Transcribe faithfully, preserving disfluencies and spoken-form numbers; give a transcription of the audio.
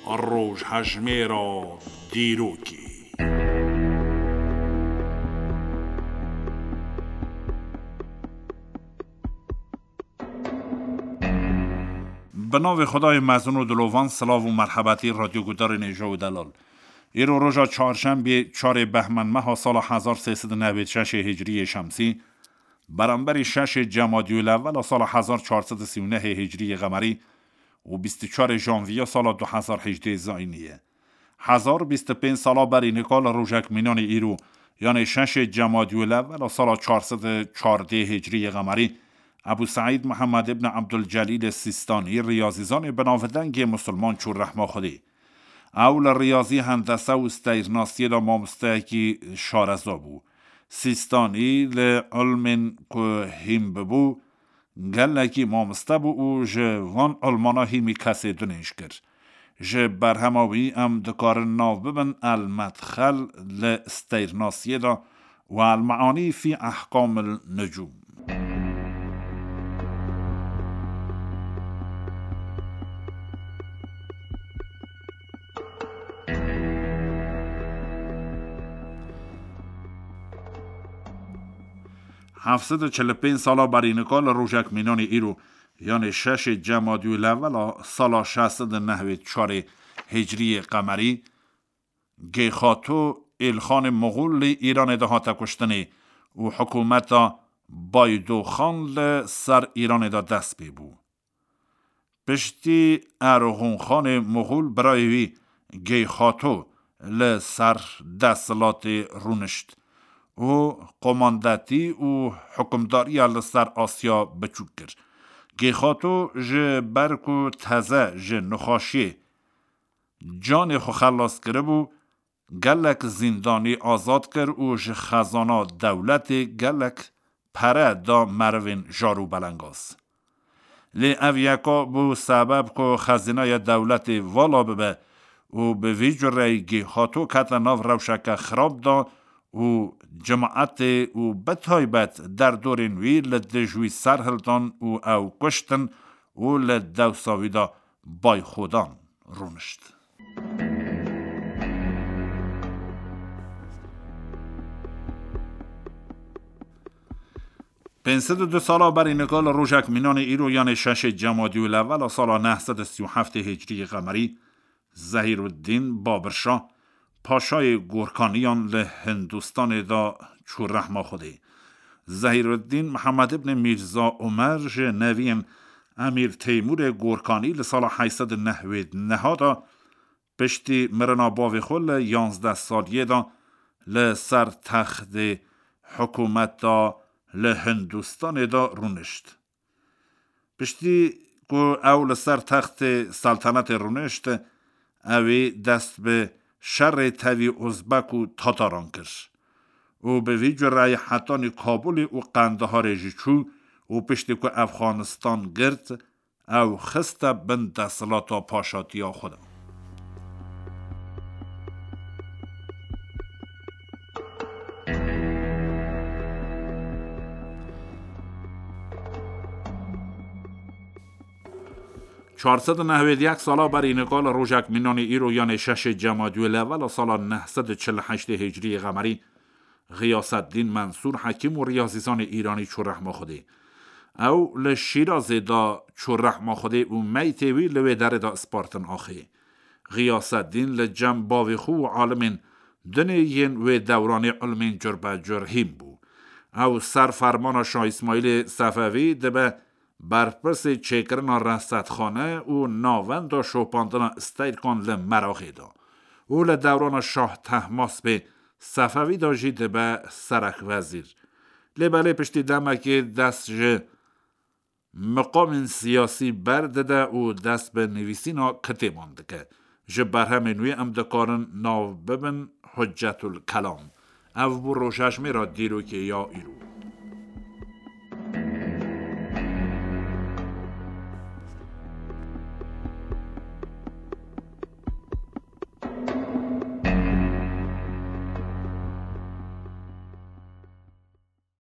Rojhejmêra dîrokê. Bi navê Xwedayê mezin û dilovan, silav û merhebetî radyogudarên hêja û delal. Îro roja çarşembê, çarê behmên meha sala hezar sê sed û newêd şeşê hicriyê şemsî, beramberî şeşê cemadî û lewela sala hezar çar sed û sî û nehê hicriyê qemerî û bîst û çarê janviya sala du hezar hejdê zayînî ye. Hezar bîst û pênc sala berî nika li rojek mînanê îro, yanê şeşê cemadî û lewela sala çar sed û çardê hicriyê qemerî, Ebû Seîd Mihemed ibn Ebdulcelîlê Sîstanî, riyazîzanê binavdengê misilman çû rehma Xwedê. Ew li riyazî, hendese û steyrnasiyê de mamosteyekî şareza bû. Sîstanî li ilmên ku hîm bibû, gelekî mamoste bû û ji van ilmana hîmî kesê din hêj kir. Ji berhema wî em dikarin nav bibin El Medxel li steyrnasiyê de û El Meanî fî Ehkamil Nucûm. Heft sed û çil û pênc sala berî nika li rojek mînanê îro, yanê şeşê cemadî û lewela sala şeş sed û nehwêd çarê hicriyê qemerî, Geyxato Êlxanê Moxol li Îranê de hate kuştinê û hikûmeta Baydoxan li ser Îranê de dest pê bû. Piştî Erxûnxanê Moxol, birayê wî Geyxato li ser desthilatê rûnişt û komandetî û hukimdariya li ser Asya biçûk kir. Geyxato ji ber ku teze ji nexweşiyê canê xwe xelas kiribû, gelek zîndanî azad kir û ji xezana dewletê gelek pere da merivên jar û belengaz. Lê ev yeka bû sebeb ku xezînaya dewletê vala bibe û bi vî cureyî Gêxato kete nav rewşeke xirab da û cimaetê û bi taybet derdorên wî li dij wî ser hildan û ew kuştin û li dewsa wî de Bayxodan rûnişt. Pênc sed û du sala berî nika li rojek mînanê îro, yanê şeşê cemadî û lewela sala neh sed û sî û heftê hicriyê qemerî, Zehîruddîn Babirşah, paşayê Gorkaniyan li Hindistanê de çû rehma Xwedê. Zehîruddîn Mihemed ibn Mîrza Omer ji neviyên Emîr Teymûrê Gorkanî li sala heyt sed û nehwêd neha de, piştî mirina bavê xwe li yanzdeh saliyê de, li ser textê hikûmeta li Hindistanê de rûnişt. Piştî ku ew li ser textê seltenetê rûnişt, ew ê dest bi şerê tevî Uzbek û Tataran kir û bi vî cureyî hetanî Kabulê û Qendiharê jî çû û piştî ku Efxanistan girt, ew xiste bin desthilata paşatiya xwe de. Çar sed û nehwêd yek sala berî nika li rojek mînanê îro, yanê şeşê cemadî û lewela sala neh sed û çil û heştê hicriyê qemerî, Xiyaseddîn Mensûr, hekîm û riyazîzanê îranî çû rehma Xwedê. Ew li Şîrazê de çû rehma Xwedê û meytê wî li wê derê de spartin axê. Xiyaseddîn li cem bavê xwe û alimên dinê yên wê dewranê ilmên curbecur hîm bû. Ew ser fermana Şah Îsmaîlê Sefevî dibe berpirsê çêkirina resetxane û navenda şopandina steyrkan li Meraqê de û li dewrana Şah Tehmaspê Sefevî de jî dibe serek wezîr. Lê belê piştî demekê dest ji miqamên siyasî berdide û dest bi nivîsîna kitêban dike. Ji berhemên wî em dikarin nav bibin Huccetul Kelam. Ev bû rojhejmêra dîrokê ya îro.